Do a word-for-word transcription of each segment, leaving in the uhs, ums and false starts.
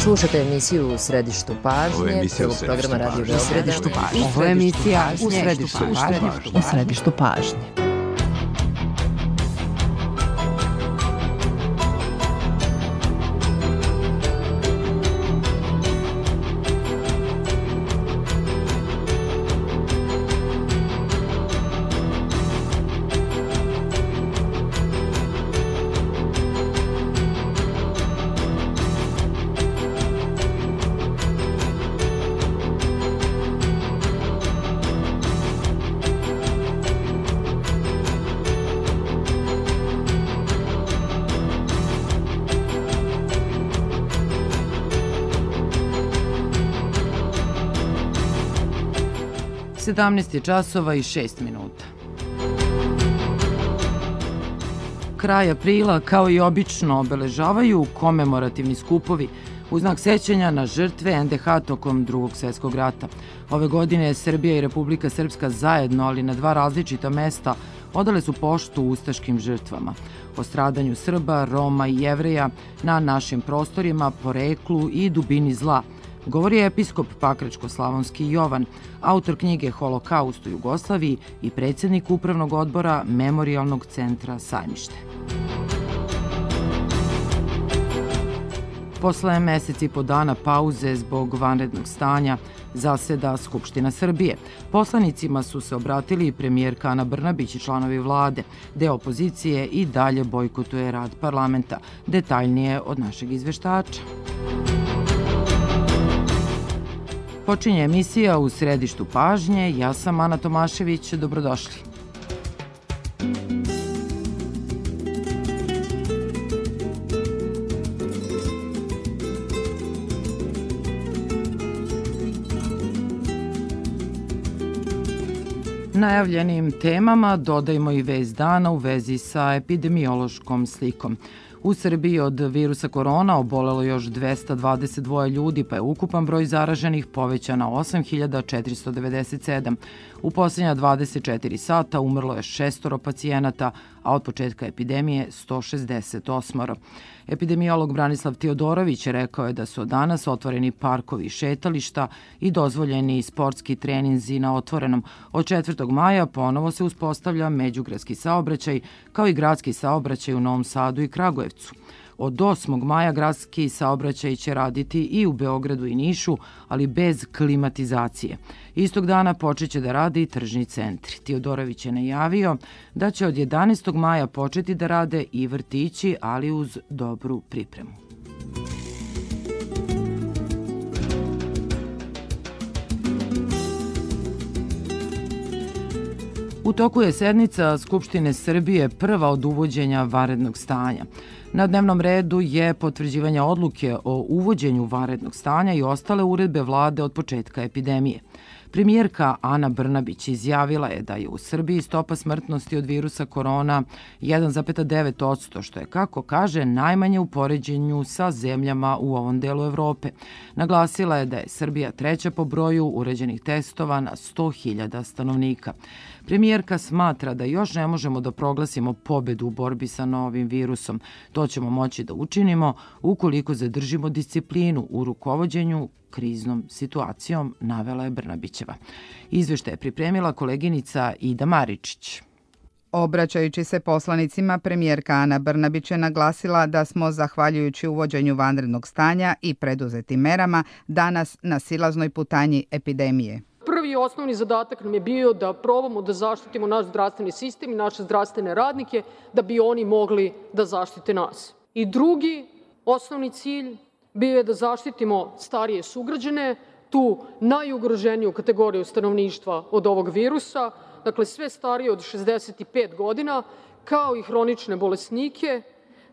Slušate emisiju U središtu pažnje, prvog programa Radio Beograda. U središtu pažnje. Ovo je emisija U središtu pažnje. U središtu pažnje. sedamnaest je časova i šest minuta. Kraj aprila, kao i obično, obeležavaju komemorativni skupovi u znak sećanja na žrtve en de ha tokom Drugog svjetskog rata. Ove godine Srbija i Republika Srpska zajedno, ali na dva različita mesta, odale su poštu ustaškim žrtvama. O stradanju Srba, Roma i Jevreja na našim prostorima, poreklu i dubini zla govori episkop Pakračko-slavonski Jovan, autor knjige Holokaust u Jugoslaviji i predsjednik upravnog odbora Memorijalnog centra Sajmište. Posle meseci i po dana pauze zbog vanrednog stanja zaseda Skupština Srbije. Poslanicima su se obratili i premijerka Ana Brnabić i članovi vlade. Deo opozicije i dalje bojkotuje rad parlamenta. Detaljnije od našeg izveštača. Počinje emisija U središtu pažnje. Ja sam Ana Tomašević. Dobrodošli. Najavljenim temama dodajmo i vest dana u vezi sa epidemiološkom slikom. U Srbiji od virusa korona obolelo još dvesta dvadeset dva ljudi, pa je ukupan broj zaraženih povećan na osam hiljada četiristo devedeset sedam. U posljednja dvadeset četiri sata umrlo je šestoro pacijenata, a od početka epidemije sto šezdeset osam. Epidemiolog Branislav Teodorović rekao je da su danas otvoreni parkovi i šetališta i dozvoljeni sportski treninzi na otvorenom. Od četvrtog maja ponovo se uspostavlja međugradski saobraćaj, kao i gradski saobraćaj u Novom Sadu i Kragujevcu. Od osmog maja gradski saobraćaj će raditi i u Beogradu i Nišu, ali bez klimatizacije. Istog dana počeće da rade i tržni centri. Teodorović je najavio da će od jedanaestog maja početi da rade i vrtići, ali uz dobru pripremu. U toku je sednica Skupštine Srbije, prva od uvođenja vanrednog stanja. Na dnevnom redu je potvrđivanje odluke o uvođenju vanrednog stanja i ostale uredbe vlade od početka epidemije. Premijerka Ana Brnabić izjavila je da je u Srbiji stopa smrtnosti od virusa korona jedan zarez devet posto, što je, kako kaže, najmanje u poređenju sa zemljama u ovom delu Evrope. Naglasila je da je Srbija treća po broju uređenih testova na sto hiljada stanovnika. Premijerka smatra da još ne možemo da proglasimo pobedu u borbi sa novim virusom. To ćemo moći da učinimo ukoliko zadržimo disciplinu u rukovođenju kriznom situacijom, navela je Brnabićeva. Izveštaj je pripremila koleginica Ida Maričić. Obraćajući se poslanicima, premijerka Ana Brnabić je naglasila da smo, zahvaljujući uvođenju vanrednog stanja i preduzetim merama, danas na silaznoj putanji epidemije. Prvi i osnovni zadatak nam je bio da probamo da zaštitimo naš zdravstveni sistem i naše zdravstvene radnike, da bi oni mogli da zaštite nas. I drugi osnovni cilj bio je da zaštitimo starije sugrađane, tu najugroženiju kategoriju stanovništva od ovog virusa, dakle sve starije od šezdeset pet godina, kao i hronične bolesnike.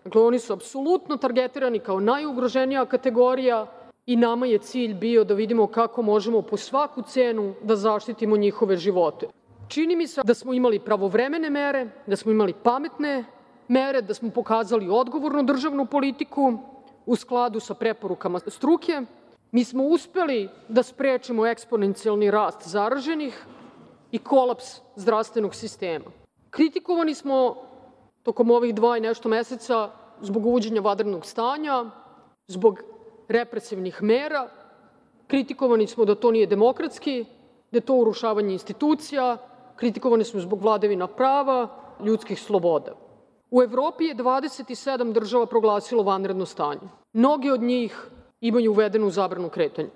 Dakle, oni su apsolutno targetirani kao najugroženija kategorija i nama je cilj bio da vidimo kako možemo po svaku cenu da zaštitimo njihove živote. Čini mi se da smo imali pravovremene mere, da smo imali pametne mere, da smo pokazali odgovornu državnu politiku u skladu sa preporukama struke. Mi smo uspeli da sprečimo eksponencijalni rast zaraženih i kolaps zdravstvenog sistema. Kritikovani smo tokom ovih dva i nešto meseca zbog uvođenja vanrednog stanja, zbog represivnih mera, kritikovani smo da to nije demokratski, da je to urušavanje institucija, kritikovani smo zbog vladavina prava, ljudskih sloboda. U Evropi je dvadeset sedam država proglasilo vanredno stanje. Mnogi od njih imaju uvedenu zabranu kretanja.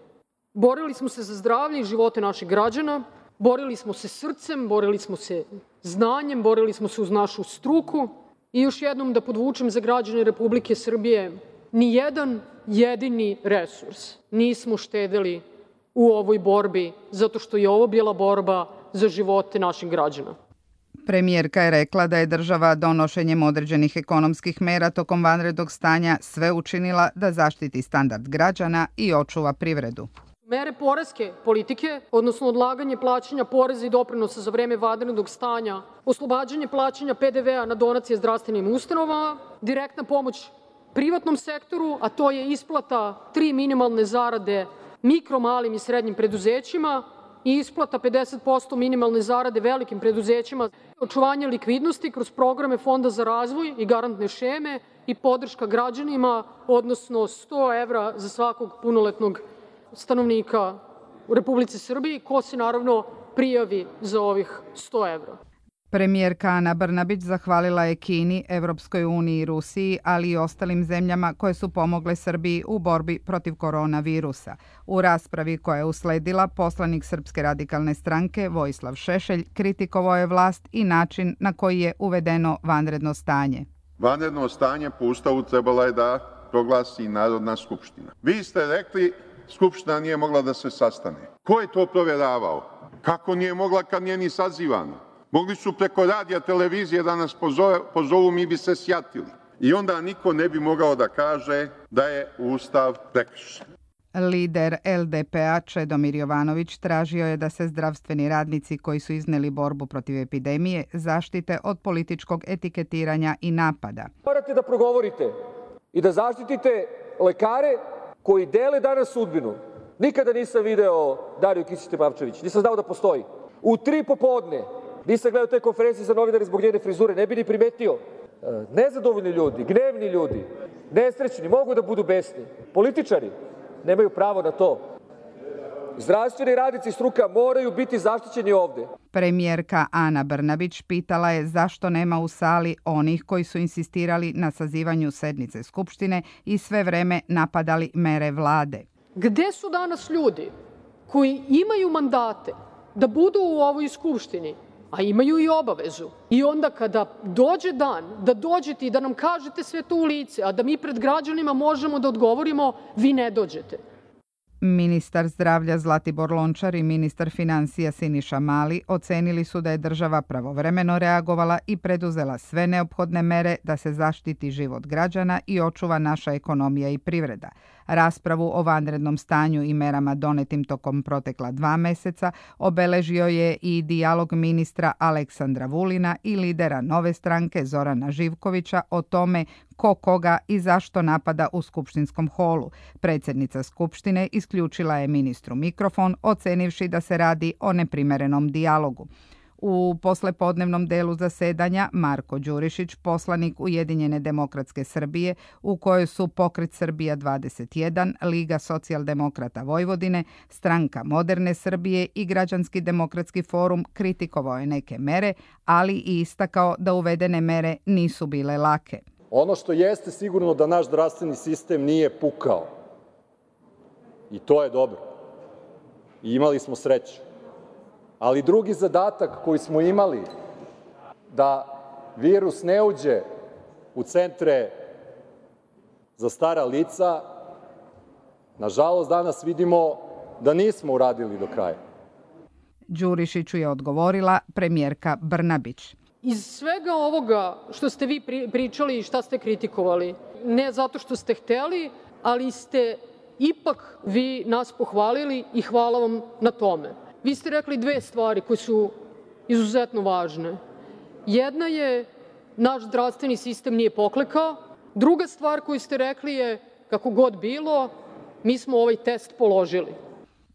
Borili smo se za zdravlje i živote naših građana, borili smo se srcem, borili smo se znanjem, borili smo se uz našu struku i još jednom da podvučem za građane Republike Srbije, ni jedan jedini resurs nismo štedeli u ovoj borbi, zato što je ovo bila borba za živote naših građana. Premijerka je rekla da je država donošenjem određenih ekonomskih mera tokom vanrednog stanja sve učinila da zaštiti standard građana i očuva privredu. Mere poreske politike, odnosno odlaganje plaćanja poreza i doprinosa za vreme vanrednog stanja, oslobađanje plaćanja P D V-a na donacije zdravstvenim ustanovama, direktna pomoć privatnom sektoru, a to je isplata tri minimalne zarade mikro, malim i srednjim preduzećima i isplata pedeset posto minimalne zarade velikim preduzećima, očuvanje likvidnosti kroz programe Fonda za razvoj i garantne šeme i podrška građanima, odnosno sto evra za svakog punoletnog stanovnika u Republici Srbiji, ko se naravno prijavi za ovih sto evra. Premijerka Ana Brnabić zahvalila je Kini, Evropskoj uniji i Rusiji, ali i ostalim zemljama koje su pomogle Srbiji u borbi protiv koronavirusa. U raspravi koja je usledila, poslanik Srpske radikalne stranke Vojislav Šešelj kritikovao je vlast i način na koji je uvedeno vanredno stanje. Vanredno stanje po Ustavu trebala je da proglasi Narodna skupština. Vi ste rekli Skupština nije mogla da se sastane. Ko je to provjeravao? Kako nije mogla kad nije ni sazivana? Mogli su preko radija, televizije da nas pozovu, mi bi se sjatili. I onda niko ne bi mogao da kaže da je Ustav prekršen. Lider L D P-a Čedomir Jovanović tražio je da se zdravstveni radnici koji su izneli borbu protiv epidemije zaštite od političkog etiketiranja i napada. Morate da progovorite i da zaštitite lekare koji dele danas sudbinu. Nikada nisam video Dariju Kisić-Tepavčević, nisam znao da postoji. U tri popodne nisam gledao te konferencije za novinare zbog njene frizure, ne bi ni primetio. Nezadovoljni ljudi, gnevni ljudi, nesrećni, mogu da budu besni. Političari nemaju pravo na to. Zdravstveni radnici i struka moraju biti zaštićeni ovde. Premijerka Ana Brnabić pitala je zašto nema u sali onih koji su insistirali na sazivanju sednice Skupštine i sve vreme napadali mere vlade. Gde su danas ljudi koji imaju mandate da budu u ovoj Skupštini, a imaju i obavezu? I onda kada dođe dan da dođete i da nam kažete sve to u lice, a da mi pred građanima možemo da odgovorimo, vi ne dođete. Ministar zdravlja Zlatibor Lončar i ministar finansija Siniša Mali ocenili su da je država pravovremeno reagovala i preduzela sve neophodne mere da se zaštiti život građana i očuva naša ekonomija i privreda. Raspravu o vanrednom stanju i merama donetim tokom protekla dva meseca obeležio je i dijalog ministra Aleksandra Vulina i lidera Nove stranke Zorana Živkovića o tome ko koga i zašto napada u skupštinskom holu. Predsjednica Skupštine isključila je ministru mikrofon, ocenivši da se radi o neprimerenom dijalogu. U poslepodnevnom delu zasedanja Marko Đurišić, poslanik Ujedinjene demokratske Srbije, u kojoj su Pokret Srbija dvadeset jedan, Liga socijaldemokrata Vojvodine, Stranka moderne Srbije i Građanski demokratski forum, kritikovao je neke mere, ali i istakao da uvedene mere nisu bile lake. Ono što jeste sigurno da naš zdravstveni sistem nije pukao. I to je dobro. I imali smo sreću. Ali drugi zadatak koji smo imali, da virus ne uđe u centre za stara lica, nažalost danas vidimo da nismo uradili do kraja. Đurišiću je odgovorila premijerka Brnabić. Iz svega ovoga što ste vi pričali i šta ste kritikovali, ne zato što ste hteli, ali ste ipak vi nas pohvalili i hvala vam na tome. Vi ste rekli dve stvari koje su izuzetno važne. Jedna je naš zdravstveni sistem nije poklekao. Druga stvar koju ste rekli je kako god bilo, mi smo ovaj test položili.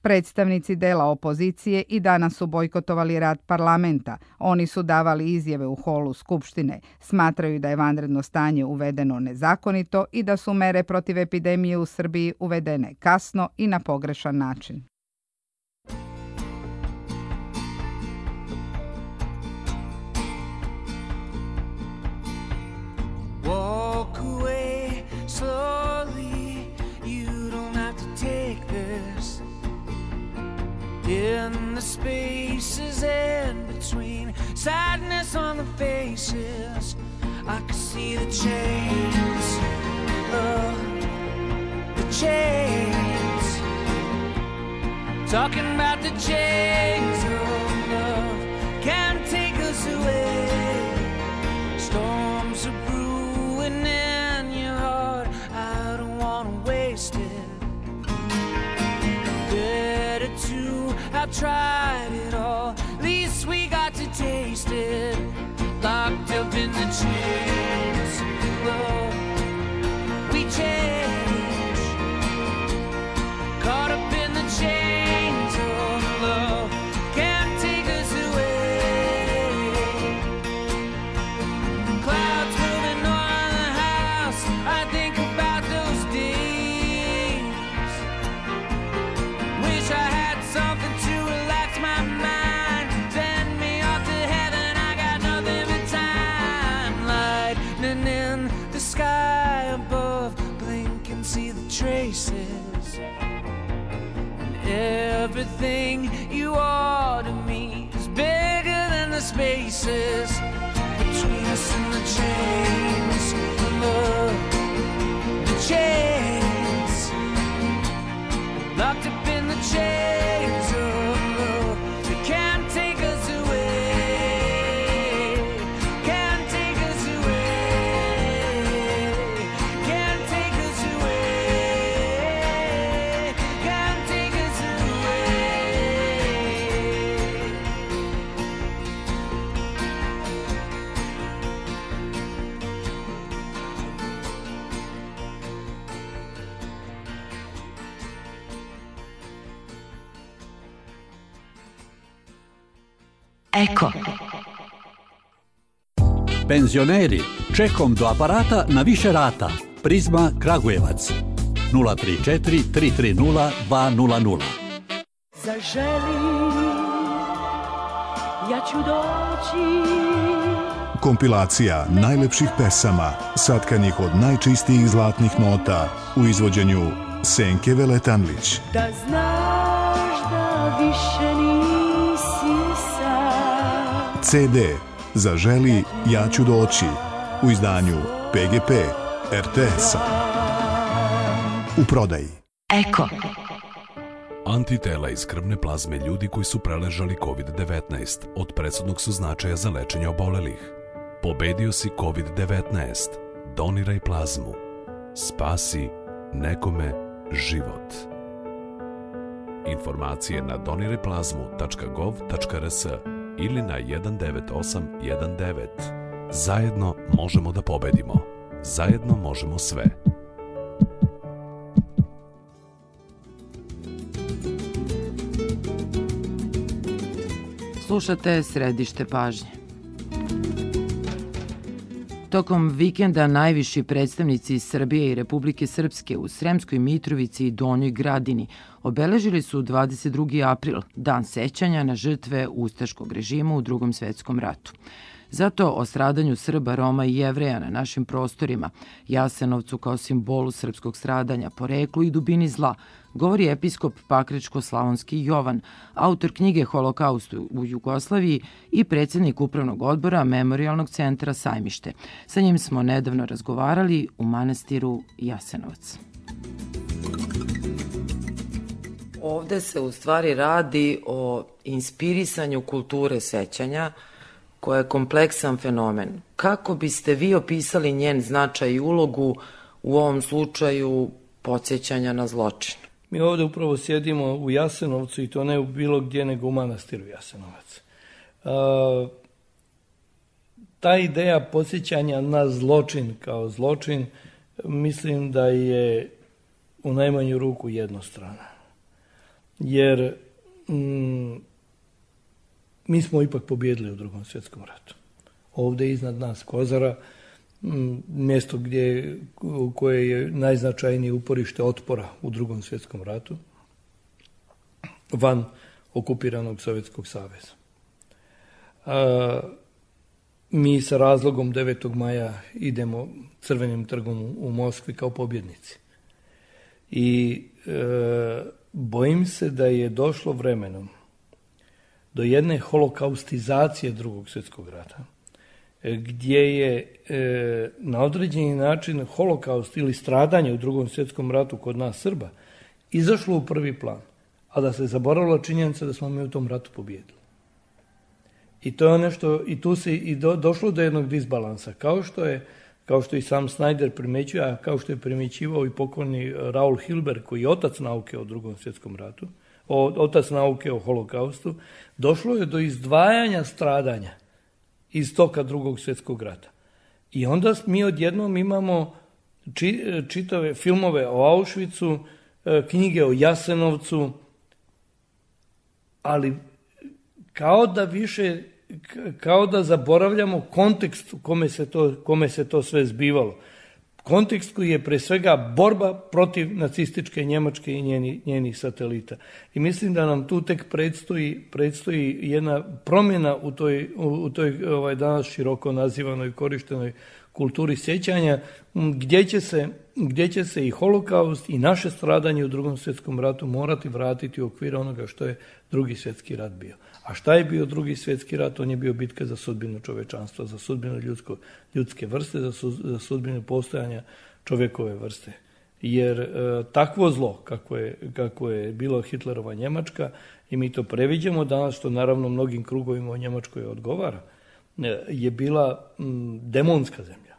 Predstavnici dela opozicije i danas su bojkotovali rad parlamenta. Oni su davali izjave u holu Skupštine. Smatraju da je vanredno stanje uvedeno nezakonito i da su mere protiv epidemije u Srbiji uvedene kasno i na pogrešan način. Walk away slowly, you don't have to take this. In the spaces in between, sadness on the faces, I can see the chains, oh, the chains. Talking about the chains of love can't take us away. Storms are brewing in your heart, I don't wanna waste it. Better to have tried it all, at least we got to taste it. Locked up in the chains, well, we change. Caught up in the chains of love, can't take us away. Clouds moving on the house, I think about those days. Wish I had something to relax my mind, send me off to heaven, I got nothing but time. Lightning in the sky above, blink and see the traces. And everything you are to me is bigger than the spaces between us and the chains of love, the chains. Locked up in the chains of love, they can't take us away. Can't take us away. Can't take us away. Can't take us away. Eko. Penzioneri, čekom do aparata na više rata. Prizma Kragujevac. nula tri četiri tri tri nula dva nula nula. Zaželi, ja ću doći. Kompilacija najlepših pesama, satkanih od najčistijih zlatnih nota u izvođenju Senke Veletanlić. Da znaš da više nisi sam. ce de Zaželi, ja ću doći u izdanju pe ge pe er te esa. U prodaji. Eko. Antitela iz krvne plazme ljudi koji su preležali kovid devetnaest od presudnog su značaja za lečenje obolelih. Pobedio si kovid devetnaest. Doniraj plazmu. Spasi nekome život. Informacije na doniraj plazmu tačka gov tačka er es ili na jedan devet osam jedan devet. Zajedno možemo da pobedimo. Zajedno možemo sve. Slušate Središte pažnje. Tokom vikenda najviši predstavnici iz Srbije i Republike Srpske u Sremskoj Mitrovici i Donjoj Gradini obeležili su dvadeset drugi april, dan sećanja na žrtve ustaškog režima u Drugom svetskom ratu. Zato o stradanju Srba, Roma i Jevreja na našim prostorima, Jasenovcu kao simbolu srpskog stradanja, poreklu i dubini zla, govori episkop Pakračko-Slavonski Jovan, autor knjige Holokaust u Jugoslaviji i predsjednik upravnog odbora Memorijalnog centra Sajmište. Sa njim smo nedavno razgovarali u manastiru Jasenovac. Ovde se u stvari radi o inspirisanju kulture sećanja, koja je kompleksan fenomen. Kako biste vi opisali njen značaj i ulogu u ovom slučaju podsjećanja na zločin? Mi ovde upravo sjedimo u Jasenovcu i to ne u bilo gdje nego u manastiru Jasenovac. Uh, ta ideja podsjećanja na zločin kao zločin mislim da je u najmanju ruku jednostrana. jer mm, mi smo ipak pobjedili u Drugom svjetskom ratu. Ovdje iznad nas Kozara, m, mjesto gdje, koje je najznačajnije uporište otpora u Drugom svjetskom ratu, van okupiranog Sovjetskog saveza. A, mi sa razlogom devetog maja idemo Crvenim trgom u Moskvi kao pobjednici. I e, bojim se da je došlo vremenom do jedne holokaustizacije Drugog svjetskog rata, gdje je e, na određeni način holokaust ili stradanje u Drugom svjetskom ratu kod nas Srba izašlo u prvi plan, a da se zaboravila činjenica da smo mi u tom ratu pobijedili. I to je nešto, i tu se i do, došlo do jednog disbalansa, kao što je, kao što i sam Snyder primjećuje, a kao što je primjećivao i pokojni Raul Hilberg, koji je otac nauke o Drugom svjetskom ratu, o, otac nauke o holokaustu, došlo je do izdvajanja stradanja iz toka Drugog svjetskog rata. I onda mi odjednom imamo či, čitave filmove o Auschwitzu, knjige o Jasenovcu, ali kao da više, kao da zaboravljamo kontekst u kome se to, kome se to sve zbivalo. Kontekst koji je pre svega borba protiv nacističke Njemačke i njeni, njenih satelita. I mislim da nam tu tek predstoji, predstoji jedna promjena u toj, u toj ovaj, danas široko nazivanoj korištenoj kulturi sjećanja, gdje će se, gdje će se i holokaust i naše stradanje u Drugom svjetskom ratu morati vratiti u okvir onoga što je Drugi svjetski rat bio. A šta je bio Drugi svjetski rat? On je bio bitka za sudbinu čovečanstva, za sudbinu ljudsko, ljudske vrste, za, su, za sudbinu postojanja čovjekove vrste. Jer e, takvo zlo, kako je, kako je bilo Hitlerova Njemačka, i mi to previđamo danas, što naravno mnogim krugovima u Njemačkoj odgovara, je bila m, demonska zemlja.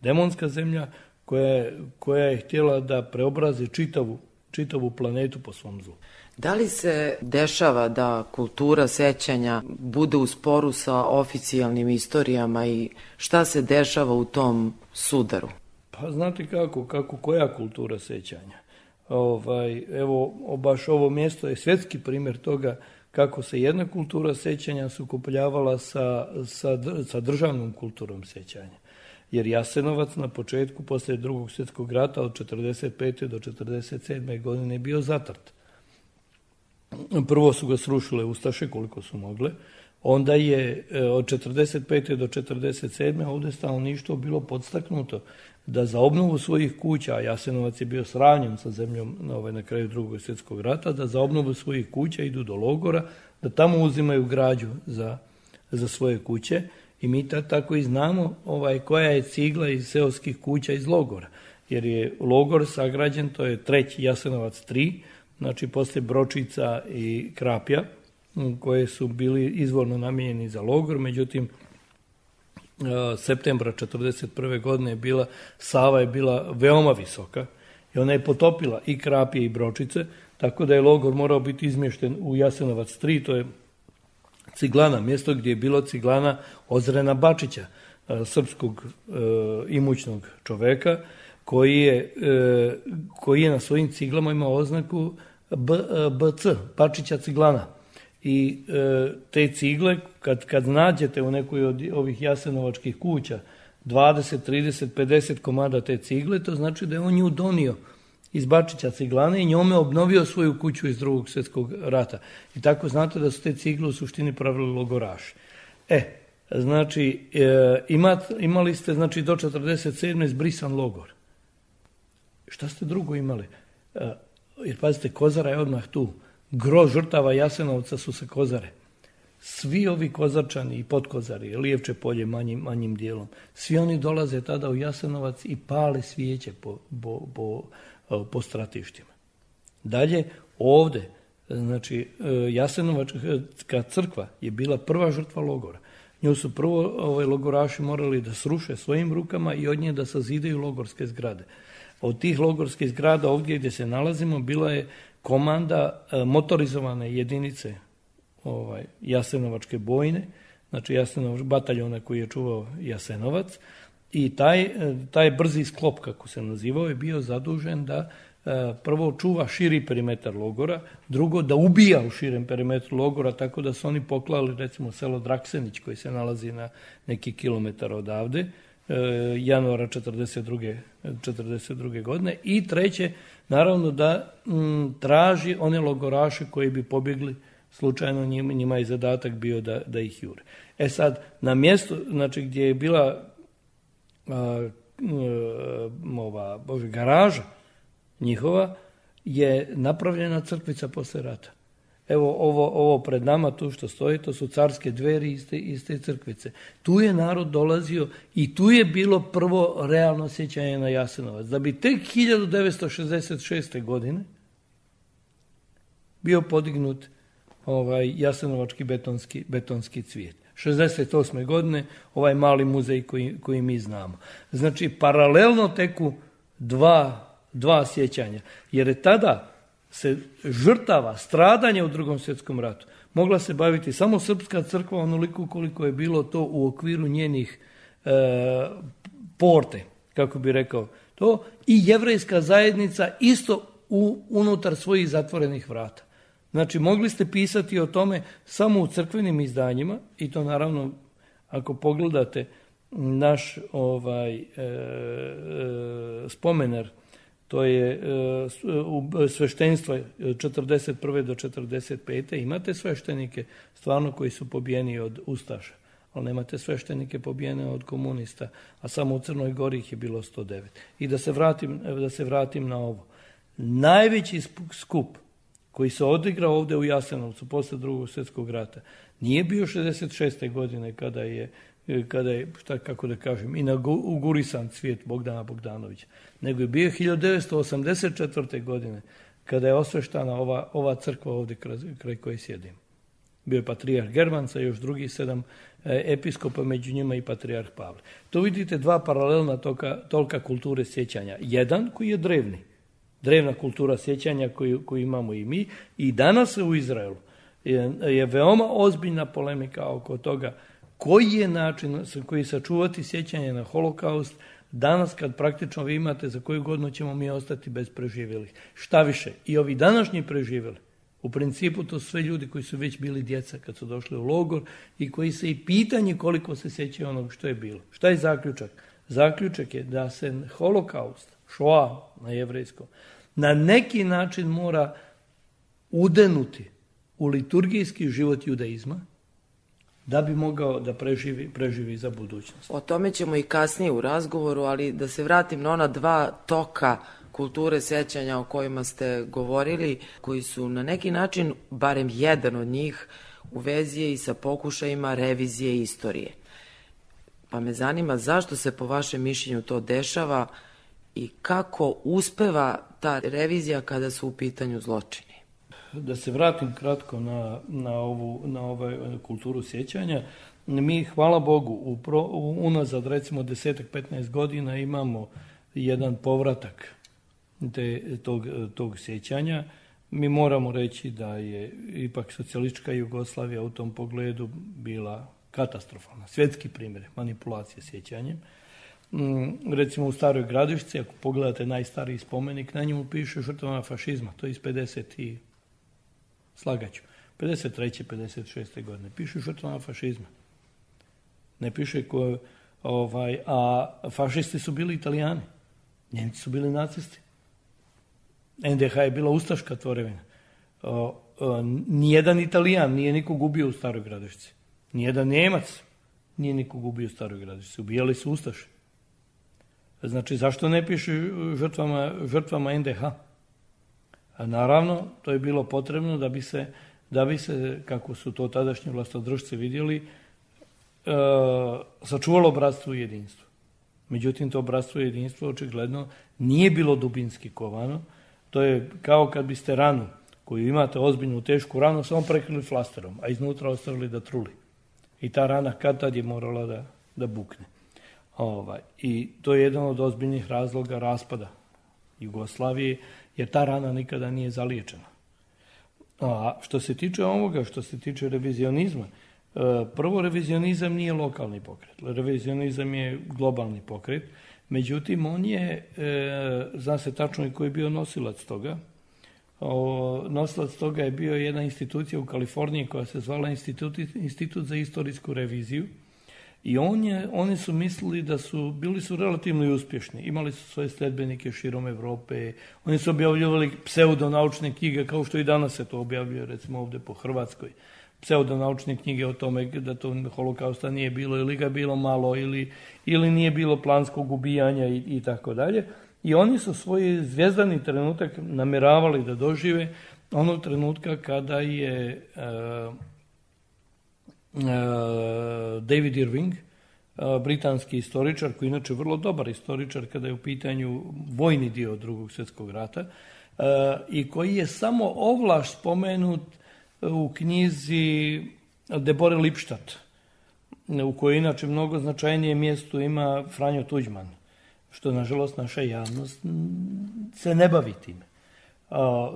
Demonska zemlja koja, koja je htjela da preobrazi čitavu, čitavu planetu po svom zlu. Da li se dešava da kultura sećanja bude u sporu sa oficijalnim istorijama i šta se dešava u tom sudaru? Pa znate kako, kako koja kultura sećanja? Ovaj, evo, baš ovo mjesto je svjetski primjer toga kako se jedna kultura sećanja sukopljavala sa, sa, sa državnom kulturom sećanja. Jer Jasenovac na početku, poslije Drugog svjetskog rata, od četrdeset pete do četrdeset sedme godine je bio zatrt. Prvo su ga srušile Ustaše koliko su mogle, onda je od četrdeset pete do četrdeset sedme ovdje stanovništvo bilo podstaknuto da za obnovu svojih kuća, a Jasenovac je bio sravnjen sa zemljom na, ovaj, na kraju Drugog svjetskog rata, da za obnovu svojih kuća idu do logora, da tamo uzimaju građu za, za svoje kuće. I mi tako i znamo ovaj, koja je cigla iz seoskih kuća iz logora. Jer je logor sagrađen, to je treći Jasenovac tri, znači poslije Bročica i Krapja, koje su bili izvorno namijenjeni za logor, međutim, septembra četrdeset prve godine je bila, Sava je bila veoma visoka i ona je potopila i Krapje i Bročice, tako da je logor morao biti izmješten u Jasenovac tri, to je Ciglana, mjesto gdje je bilo Ciglana Ozrena Bačića, srpskog e, imućnog čoveka, koji je, e, koji je na svojim ciglama imao oznaku B, B C, Bačića Ciglana. I e, te cigle, kad, kad nađete u nekoj od ovih jasenovačkih kuća dvadeset, trideset, pedeset komada te cigle, to znači da je on nju donio iz Bačića Ciglane i njome obnovio svoju kuću iz Drugog svjetskog rata. I tako znate da su te cigle u suštini pravili logoraši. E, znači, e, imat, imali ste znači, do četrdeset sedme zbrisan logor. Šta ste drugo imali? E, jer pazite, Kozara je odmah tu. Gro žrtava Jasenovca su sa Kozare. Svi ovi Kozarčani i Podkozari, Lijevče polje manjim, manjim dijelom, svi oni dolaze tada u Jasenovac i pale svijeće po, po, po, po stratištima. Dalje, ovdje, znači, Jasenovačka crkva je bila prva žrtva logora. Nju su prvo ovaj, logoraši morali da sruše svojim rukama i od nje da sazidaju logorske zgrade. Od tih logorskih zgrada ovdje gdje se nalazimo bila je komanda e, motorizovane jedinice ovaj, Jasenovačke bojne, znači Jasenovač, bataljona koji je čuvao Jasenovac, i taj, taj brzi sklop, kako se nazivao, je bio zadužen da prvo čuva širi perimetar logora, drugo da ubija u širem perimetru logora, tako da su oni poklali recimo selo Draksenić koji se nalazi na neki kilometar odavde, januara četrdeset druge godine. I treće, naravno da m, traži one logoraše koji bi pobjegli slučajno, njima, njima je zadatak bio da, da ih jure. E sad, na mjestu, znači gdje je bila a, a, ova bože, garaža njihova, je napravljena crkvica posle rata. Evo ovo, ovo pred nama tu što stoji, to su carske dveri iz te, iz te crkvice. Tu je narod dolazio i tu je bilo prvo realno sjećanje na Jasenovac. Da bi tek hiljadu devetsto šezdeset šeste. godine bio podignut ovaj jasenovački betonski, betonski cvijet. šezdeset osme. godine ovaj mali muzej koji, koji mi znamo. Znači, paralelno teku dva, dva sjećanja. Jer je tada se žrtava, stradanje u Drugom svjetskom ratu mogla se baviti samo srpska crkva onoliko koliko je bilo to u okviru njenih e, porte, kako bi rekao to, i jevrejska zajednica isto u, unutar svojih zatvorenih vrata. Znači, mogli ste pisati o tome samo u crkvenim izdanjima i to naravno, ako pogledate naš ovaj e, e, spomenar, to je e, sveštenstvo četrdeset prve do četrdeset pete. Imate sveštenike stvarno koji su pobijeni od ustaša, ali nemate sveštenike pobijene od komunista, a samo u Crnoj Gori ih je bilo sto devet. I da se vratim, da se vratim na ovo. Najveći skup koji se odigrao ovdje u Jasenovcu posle Drugog svjetskog rata nije bio šezdeset šeste. godine kada je, kada je šta, kako da kažem, inaugurisan cvijet Bogdana Bogdanovića, nego je bio hiljadu devetsto osamdeset četvrte. godine kada je osveštana ova, ova crkva ovdje kraj, kraj koje sjedim. Bio je patrijarh Germanca i još drugi sedam e, episkopa, među njima i patrijarh Pavle. To vidite dva paralelna toka, tolka kulture sjećanja. Jedan koji je drevni, drevna kultura sjećanja koju, koju imamo i mi, i danas u Izraelu je, je veoma ozbiljna polemika oko toga koji je način koji sačuvati sjećanje na holokaust danas kad praktično vi imate za koju godinu ćemo mi ostati bez preživjelih. Šta više, i ovi današnji preživjeli, u principu to su sve ljudi koji su već bili djeca kad su došli u logor i koji se i pitanje koliko se sjećaju onog što je bilo. Šta je zaključak? Zaključak je da se holokaust, šoa na jevrejskom, na neki način mora udenuti u liturgijski život judaizma da bi mogao da preživi, preživi za budućnost. O tome ćemo i kasnije u razgovoru, ali da se vratim na ona dva toka kulture sjećanja o kojima ste govorili, koji su na neki način, barem jedan od njih, u vezi je i sa pokušajima revizije istorije. Pa me zanima zašto se po vašem mišljenju to dešava i kako uspeva ta revizija kada su u pitanju zločini. Da se vratim kratko na, na ovu na ovaj kulturu sjećanja. Mi, hvala Bogu, u pro, u, unazad recimo desetak, petnaest godina imamo jedan povratak te, tog, tog sjećanja. Mi moramo reći da je ipak socijalistička Jugoslavija u tom pogledu bila katastrofalna. Svjetski primjer manipulacije sjećanjem. Recimo u Staroj Gradišci, ako pogledate najstariji spomenik, na njemu piše žrtvama fašizma, to je iz pedeset i slagaću, pedeset treće. pedeset šeste. godine. Piše žrtvama fašizma. Ne piše ko, ovaj, a fašisti su bili Italijani. Njemci su bili nacisti. en de ha je bila ustaška tvorevina. O, o, nijedan Italijan nije nikog ubio u Staroj Gradišci. Nijedan Njemac nije nikog ubio u Staroj Gradišci. Ubijali su ustaše. Znači, zašto ne piše žrtvama, žrtvama en de ha? A naravno, to je bilo potrebno da bi se, da bi se kako su to tadašnji vlastodržci vidjeli, e, sačuvalo bratstvo i jedinstvo. Međutim, to bratstvo i jedinstvo očigledno nije bilo dubinski kovano. To je kao kad biste ranu, koju imate ozbiljnu, tešku ranu, samo prekrili flasterom, a iznutra ostavili da truli. I ta rana kad tad je morala da, da bukne. Ovaj. I to je jedan od ozbiljnih razloga raspada Jugoslavije, jer ta rana nikada nije zaliječena. A što se tiče ovoga, što se tiče revizionizma, prvo, revizionizam nije lokalni pokret. Revizionizam je globalni pokret. Međutim, on je, e, zna se tačno i koji je bio nosilac toga. O, nosilac toga je bio jedna institucija u Kaliforniji koja se zvala Institut, Institut za istorijsku reviziju. I on je, oni su mislili da su, bili su relativno uspješni. Imali su svoje sledbenike širom Evrope. Oni su objavljivali pseudonaučne knjige, kao što i danas se to objavljuje, recimo ovdje po Hrvatskoj. Pseudonaučne knjige o tome da to holokausta nije bilo ili ga bilo malo ili, ili nije bilo planskog ubijanja i, i tako dalje. I oni su svoj zvijezdani trenutak namjeravali da dožive onog trenutka kada je uh, uh, David Irving, uh, britanski istoričar, koji je inače vrlo dobar istoričar kada je u pitanju vojni dio drugog svjetskog rata, uh, i koji je samo ovlaš spomenut u knjizi Debore Lipstadt, u kojoj inače mnogo značajnije mjesto ima Franjo Tuđman, što nažalost naša javnost se ne bavi time.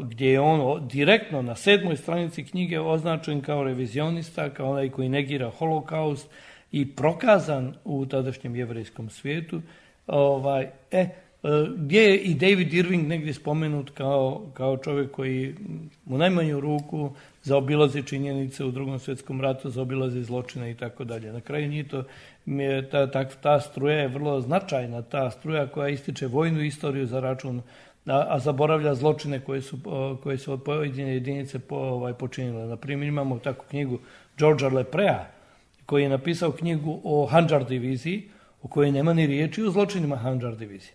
Gdje je on direktno na sedmoj stranici knjige označen kao revizionista, kao onaj koji negira holokaust i prokazan u tadašnjem jevrejskom svijetu. Ovaj, e, gdje je i David Irving negdje spomenut kao, kao čovjek koji u najmanju ruku zaobilazi činjenice u drugom svjetskom ratu, zaobilazi zločine i tako dalje. Na kraju nije to, ta, ta, ta struja je vrlo značajna, ta struja koja ističe vojnu istoriju za račun, a, a zaboravlja zločine koje su, koje su pojedine jedinice po, ovaj, počinile. Na primjer, imamo takvu knjigu Georgea Leprea, koji je napisao knjigu o Handžar diviziji, u kojoj nema ni riječi o zločinima Handžar divizije.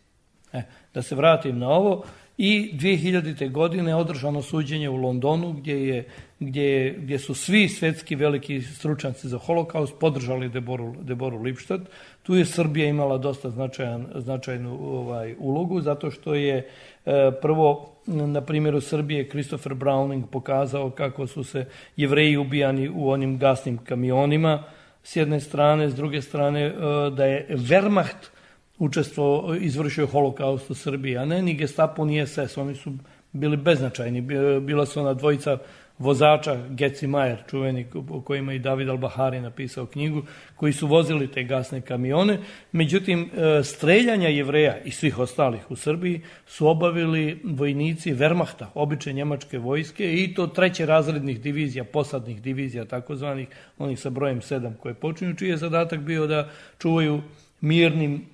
E, da se vratim na ovo. I dvije hiljadite. godine održano suđenje u Londonu gdje, je, gdje, je, gdje su svi svjetski veliki stručnjaci za holokaust podržali Deboru, Deboru Lipstadt. Tu je Srbija imala dosta značajan, značajnu ovaj, ulogu, zato što je e, prvo na primjeru Srbije Christopher Browning pokazao kako su se Jevreji ubijani u onim gasnim kamionima s jedne strane, s druge strane e, da je Wehrmacht učestvo izvršio holokaust u Srbiji, a ne ni Gestapo, ni es es, oni su bili beznačajni. Bila su ona dvojica vozača, Getz i Mayer, čuveni, o kojima i David Al-Bahari napisao knjigu, koji su vozili te gasne kamione. Međutim, streljanja Jevreja i svih ostalih u Srbiji su obavili vojnici Wehrmachta, obične njemačke vojske, i to treće razrednih divizija, posadnih divizija, takozvanih, onih sa brojem sedam koje počinju, čiji je zadatak bio da čuvaju mirnim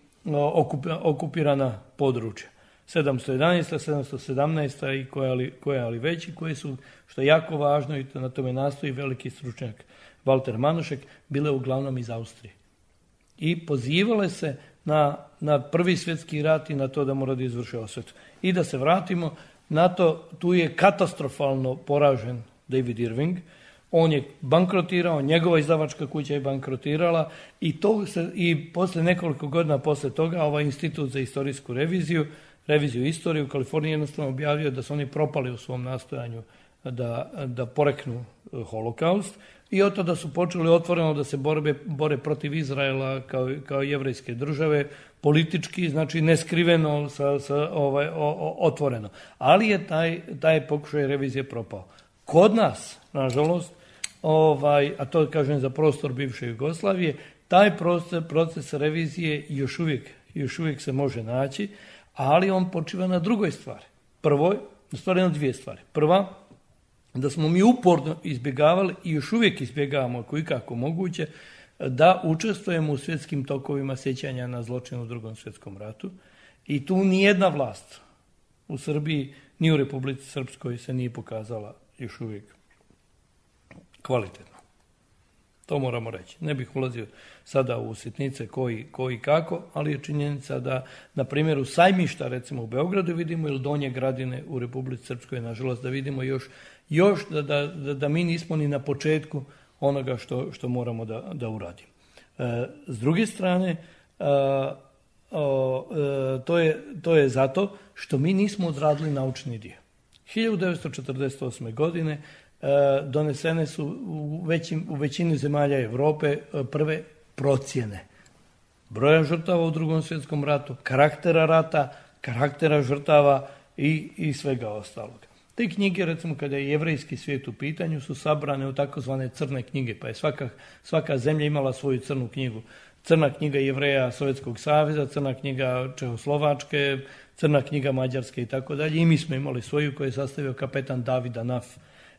okupirana područja. sedamsto jedanaesta, sedamsto sedamnaesta i koja ali, koja ali veći, koje su, što je jako važno i to na tome nastoji veliki stručnjak Walter Manušek, bile uglavnom iz Austrije. I pozivale se na, na prvi svjetski rat i na to da mora da izvrše osvetu. I da se vratimo na to, tu je katastrofalno poražen David Irving. On je bankrotirao, njegova izdavačka kuća je bankrotirala i, to se, i posle nekoliko godina posle toga ovaj Institut za istorijsku reviziju, reviziju istorije u Kaliforniji jednostavno objavio da su oni propali u svom nastojanju da, da poreknu holokaust i od tada su počeli otvoreno da se borbe, bore protiv Izraela kao, kao jevrejske države, politički, znači neskriveno, sa, sa, ovaj, o, o, otvoreno. Ali je taj, taj pokušaj revizije propao. Kod nas, nažalost, ovaj, a to kažem za prostor bivše Jugoslavije, taj proces, proces revizije još uvijek, još uvijek se može naći, ali on počiva na drugoj stvari. Prvo, stvari na dvije stvari. Prva, da smo mi uporno izbjegavali i još uvijek izbjegavamo ako ikako moguće da učestvujemo u svjetskim tokovima sjećanja na zločin u drugom svjetskom ratu. I tu nijedna vlast u Srbiji ni u Republici Srpskoj se nije pokazala još uvijek kvalitetno. To moramo reći. Ne bih ulazio sada u sitnice koji, koji kako, ali je činjenica da na primjeru Sajmišta, recimo u Beogradu vidimo, ili Donje Gradine u Republici Srpskoj, nažalost, da vidimo još, još da, da, da, da mi nismo ni na početku onoga što, što moramo da, da uradimo. E, s druge strane, a, o, e, to, je, to je zato što mi nismo odradili naučni dio. hiljadu devetsto četrdeset osme. godine donesene su u, većim, u većini zemalja Europe prve procjene broja žrtava u drugom svjetskom ratu, karaktera rata, karaktera žrtava i, i svega ostalog. Te knjige, recimo kada je jevrejski svijet u pitanju, su sabrane u takozvane crne knjige, pa je svaka, svaka zemlja imala svoju crnu knjigu. Crna knjiga Jevreja Sovjetskog saveza, crna knjiga Čehoslovačke, crna knjiga Mađarske i tako dalje. I mi smo imali svoju koju je sastavio kapetan David Anaf.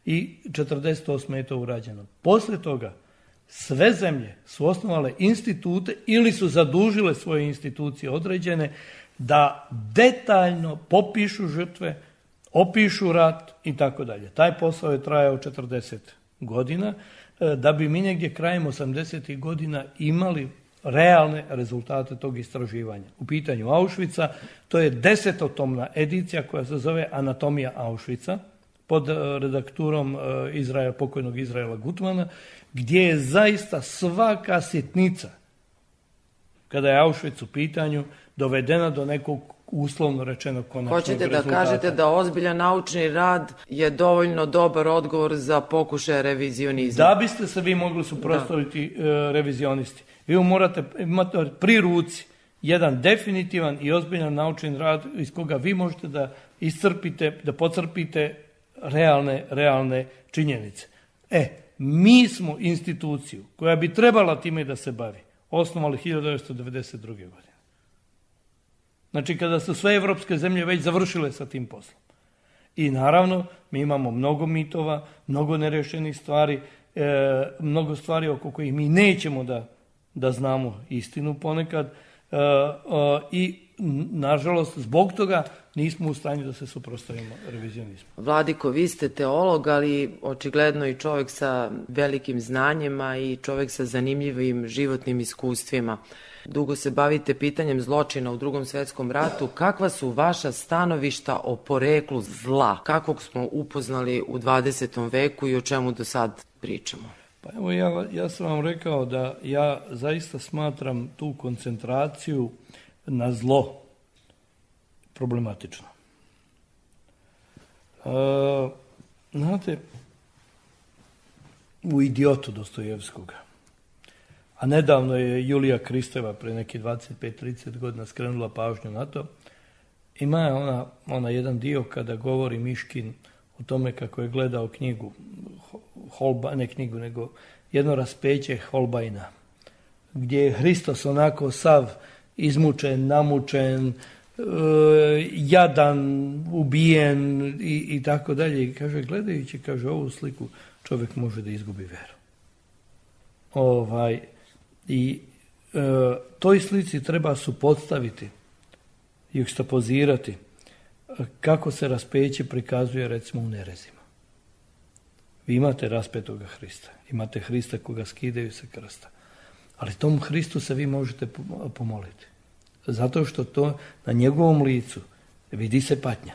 I četrdeset osme je to urađeno. Posle toga sve zemlje su osnovale institute ili su zadužile svoje institucije određene da detaljno popišu žrtve, opišu rat i tako dalje. Taj posao je trajao četrdeset godina da bi mi negdje krajem osamdesetih godina imali realne rezultate tog istraživanja. U pitanju Auschwitza, to je desetotomna edicija koja se zove Anatomija Auschwitza pod redakturom Izraela, pokojnog Izraela Gutmana, gdje je zaista svaka sitnica, kada je Auschwitz u pitanju, dovedena do nekog uslovno rečeno konačnog Hoćete rezultata. da kažete da ozbiljan naučni rad je dovoljno dobar odgovor za pokušaj revizionizma? Da biste se vi mogli suprotstaviti uh, revizionisti. Vi morate imati pri ruci jedan definitivan i ozbiljan naučni rad iz koga vi možete da iscrpite, da pocrpite realne, realne činjenice. E, mi smo instituciju koja bi trebala time da se bavi osnovali hiljadu devetsto devedeset druge. godine. Znači, kada su sve evropske zemlje već završile sa tim poslom. I naravno, mi imamo mnogo mitova, mnogo nerešenih stvari, e, mnogo stvari oko kojih mi nećemo da, da znamo istinu ponekad e, e, i, nažalost, zbog toga nismo u stanju da se suprotstavimo revizionizmu. Vladiko, vi ste teolog, ali očigledno i čovjek sa velikim znanjima i čovjek sa zanimljivim životnim iskustvima. Dugo se bavite pitanjem zločina u Drugom svjetskom ratu. Kakva su vaša stanovišta o poreklu zla? Kakvog smo upoznali u dvadesetom veku i o čemu do sad pričamo? Pa evo, ja, ja sam vam rekao da ja zaista smatram tu koncentraciju na zlo problematično. E, znate, u Idiotu Dostojevskoga, a nedavno je Julija Kristeva pre neki dvadeset pet trideset godina skrenula pažnju na to, ima ona, ona jedan dio kada govori Miškin o tome kako je gledao knjigu, Holba, ne knjigu, nego jedno raspeće Holbajna, gdje je Hristos onako sav izmučen, namučen, e, jadan, ubijen i, i tako dalje. I kaže, gledajući, kaže, ovu sliku čovjek može da izgubi veru. Ovaj, I e, toj slici treba suprotstaviti, jukstapozirati kako se raspeće prikazuje recimo u nerezima. Vi imate raspetoga Hrista, imate Hrista koga skidaju sa krsta, ali tom Hristu se vi možete pomoliti. Zato što to na njegovom licu vidi se patnja,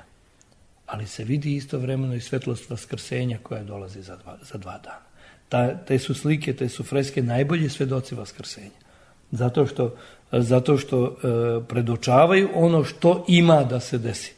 ali se vidi istovremeno i svetlost vaskrsenja koja dolazi za dva, za dva dana. Ta, te su slike, te su freske najbolji svedoci vaskrsenja. Zato što, zato što e, predočavaju ono što ima da se desi.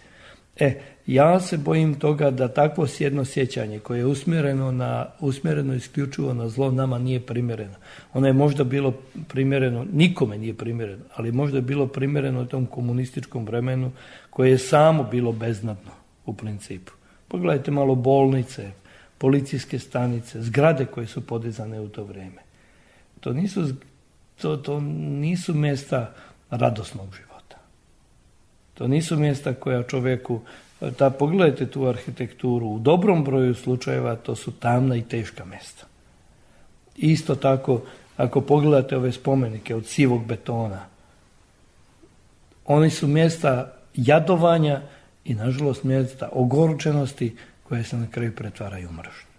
E, ja se bojim toga da takvo jedno sjećanje koje je usmjereno, na, usmjereno isključivo na zlo nama nije primjereno. Ono je možda bilo primjereno, nikome nije primjereno, ali možda je bilo primjereno u tom komunističkom vremenu koje je samo bilo beznadno u principu. Pogledajte malo bolnice, policijske stanice, zgrade koje su podizane u to vrijeme. To nisu, to, to nisu mjesta radosnog života. To nisu mjesta koja čovjeku, ta, pogledajte tu arhitekturu, u dobrom broju slučajeva to su tamna i teška mjesta. Isto tako, ako pogledate ove spomenike od sivog betona, oni su mjesta jadovanja i, nažalost, mjesta ogorčenosti koje se na kraju pretvaraju u mržnju.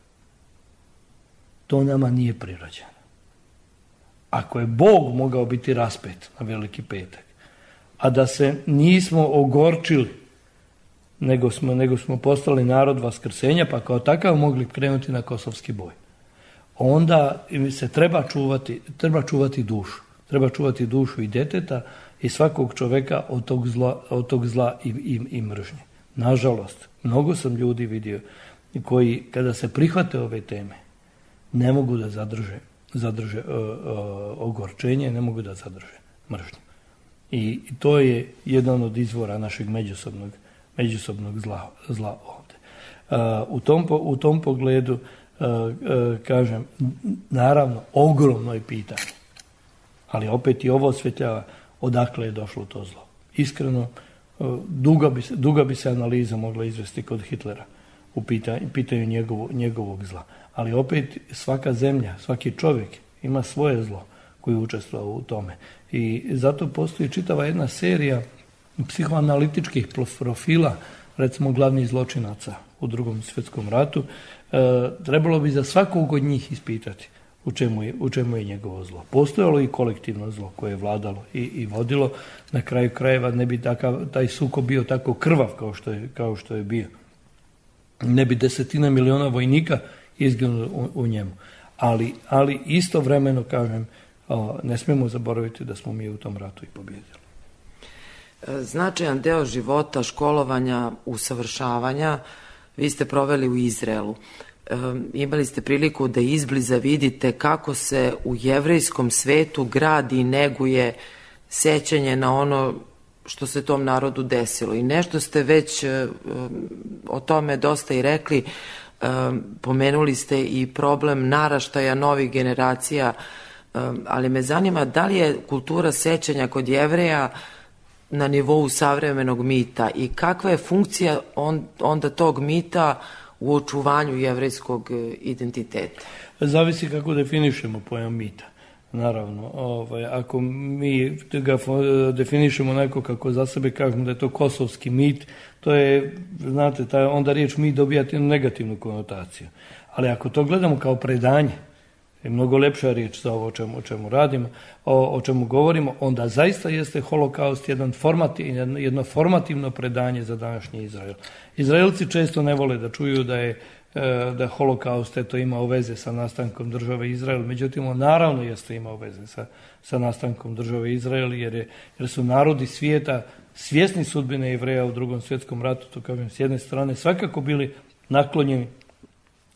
To nama nije prirođeno. Ako je Bog mogao biti raspet na Veliki petak, a da se nismo ogorčili, nego smo, nego smo postali narod vaskrsenja, pa kao takav mogli krenuti na kosovski boj, onda se treba čuvati, treba čuvati dušu. Treba čuvati dušu i djeteta i svakog čovjeka od tog zla, od tog zla i, i, i mržnje. Nažalost, mnogo sam ljudi vidio koji, kada se prihvate ove teme, ne mogu da zadrže, zadrže uh, uh, ogorčenje, ne mogu da zadrže mržnju. I to je jedan od izvora našeg međusobnog, međusobnog zla, zla ovdje. Uh, u, tom, u tom pogledu, uh, uh, kažem, naravno, ogromno je pitanje. Ali opet i ovo osvetljava odakle je došlo to zlo. Iskreno, duga bi, duga bi se analiza mogla izvesti kod Hitlera u pitanju, pitanju njegovo, njegovog zla. Ali opet svaka zemlja, svaki čovjek ima svoje zlo koji učestvuje u tome. I zato postoji čitava jedna serija psihoanalitičkih profila, recimo glavnih zločinaca u Drugom svjetskom ratu. E, trebalo bi za svakog od njih ispitati u čemu je, u čemu je njegovo zlo. Postojalo i kolektivno zlo koje je vladalo i, i vodilo. Na kraju krajeva ne bi takav, taj sukob bio tako krvav kao što je, kao što je bio. Ne bi desetina miliona vojnika izginulo u, u njemu. Ali, ali istovremeno, kažem, o, ne smijemo zaboraviti da smo mi u tom ratu i pobjedili. Značajan deo života, školovanja, usavršavanja vi ste proveli u Izraelu. E, imali ste priliku da izbliza vidite kako se u jevrejskom svetu gradi i neguje sećanje na ono što se tom narodu desilo. I nešto ste već e, o tome dosta i rekli. E, pomenuli ste i problem naraštaja novih generacija, e, ali me zanima da li je kultura sećanja kod Jevreja na nivou savremenog mita i kakva je funkcija on, onda tog mita u očuvanju jevrejskog identiteta? Zavisi kako definišemo pojam mita. Naravno, ovaj, ako mi ga definišemo onako kako za sebe kažemo da je to kosovski mit, to je, znate, taj, onda riječ mit dobija negativnu konotaciju. Ali ako to gledamo kao predanje, je mnogo lepša riječ za ovo o čemu, o čemu radimo, o, o čemu govorimo, onda zaista jeste holokaust jedan formativ, jedno formativno predanje za današnji Izrael. Izraelci često ne vole da čuju da je da holokaust eto imao veze sa nastankom države Izrael, međutim on naravno jeste imao veze sa, sa nastankom države Izrael, jer, je, jer su narodi svijeta svjesni sudbine Jevreja u Drugom svjetskom ratu, to kažem s jedne strane, svakako bili naklonjeni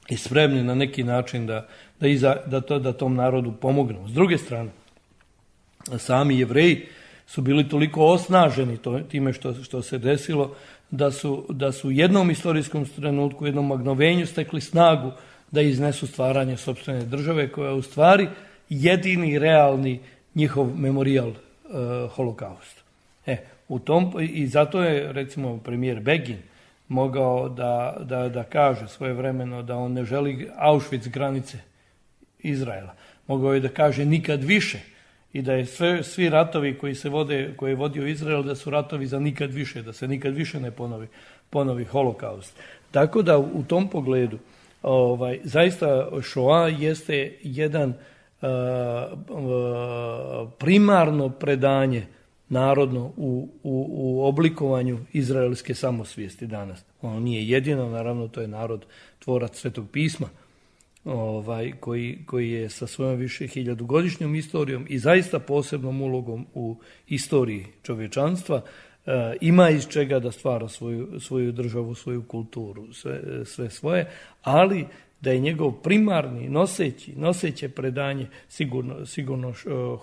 i spremni na neki način da, da, iza, da, to, da tom narodu pomognu. S druge strane, sami Jevreji su bili toliko osnaženi to, time što, što se desilo, da su, da su u jednom istorijskom trenutku, u jednom magnovenju stekli snagu da iznesu stvaranje sopstvene države, koja je u stvari jedini realni njihov memorijal e, holokaust. E, u tom, i zato je recimo premijer Begin mogao da, da, da kaže svojevremeno da on ne želi Auschwitz granice Izraela. Mogao je da kaže nikad više i da je sve, svi ratovi koji se vode, koje je vodio Izrael, da su ratovi za nikad više, da se nikad više ne ponovi, ponovi holokaust. Tako da u tom pogledu ovaj, zaista Šoa jeste jedan uh, uh, primarno predanje narodno u, u, u oblikovanju izraelske samosvijesti danas. Ono nije jedino, naravno to je narod tvorac Svetog pisma, ovaj, koji, koji je sa svojom više hiljadugodišnjom istorijom i zaista posebnom ulogom u istoriji čovječanstva e, ima iz čega da stvara svoju, svoju državu, svoju kulturu, sve, sve svoje, ali da je njegov primarni, noseći, noseće predanje sigurno, sigurno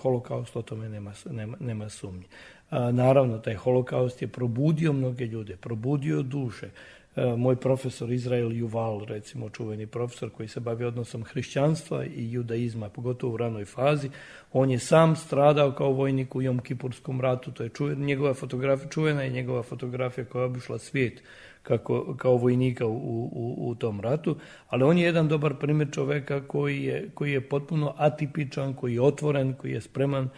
holokaust, o tome nema, nema, nema sumnje. A, naravno, taj holokaust je probudio mnoge ljude, probudio duše. A, moj profesor Izrael Juval, recimo čuveni profesor koji se bavi odnosom hrišćanstva i judaizma, pogotovo u ranoj fazi, on je sam stradao kao vojnik u Jom Kipurskom ratu, to je čuvena, njegova fotografija, čuvena je njegova fotografija koja je obišla svijet kako, kao vojnika u, u, u tom ratu, ali on je jedan dobar primjer čoveka koji je, koji je potpuno atipičan, koji je otvoren, koji je spreman,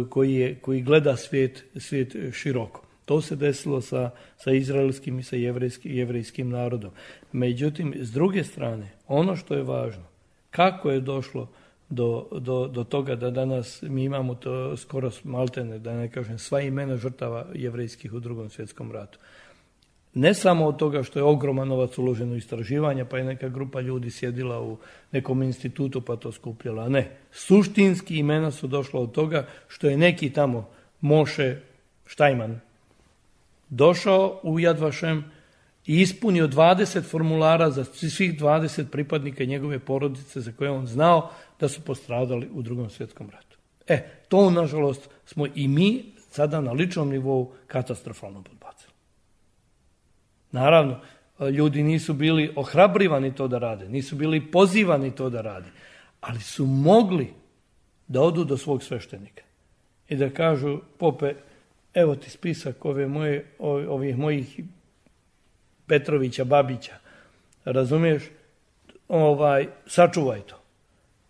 koji, je, koji gleda svijet, svijet široko. To se desilo sa, sa izraelskim i sa jevrejskim, jevrejskim narodom. Međutim, s druge strane, ono što je važno, kako je došlo do, do, do toga da danas mi imamo to skoro maltene, da ne kažem, sva imena žrtava jevrejskih u Drugom svjetskom ratu. Ne samo od toga što je ogroman novac uložen u istraživanja, pa je neka grupa ljudi sjedila u nekom institutu pa to skupljala. Ne. Suštinski imena su došla od toga što je neki tamo Moše Štajman došao u Yad Vashem i ispunio dvadeset formulara za svih dvadeset pripadnika njegove porodice za koje on znao da su postradali u Drugom svjetskom ratu. E, to nažalost smo i mi sada na ličnom nivou katastrofalno podbacili. Naravno, ljudi nisu bili ohrabrivani to da rade, nisu bili pozivani to da rade, ali su mogli da odu do svog sveštenika i da kažu, pope, evo ti spisak ove moje, ovih mojih Petrovića, Babića, razumiješ, ovaj, sačuvaj to.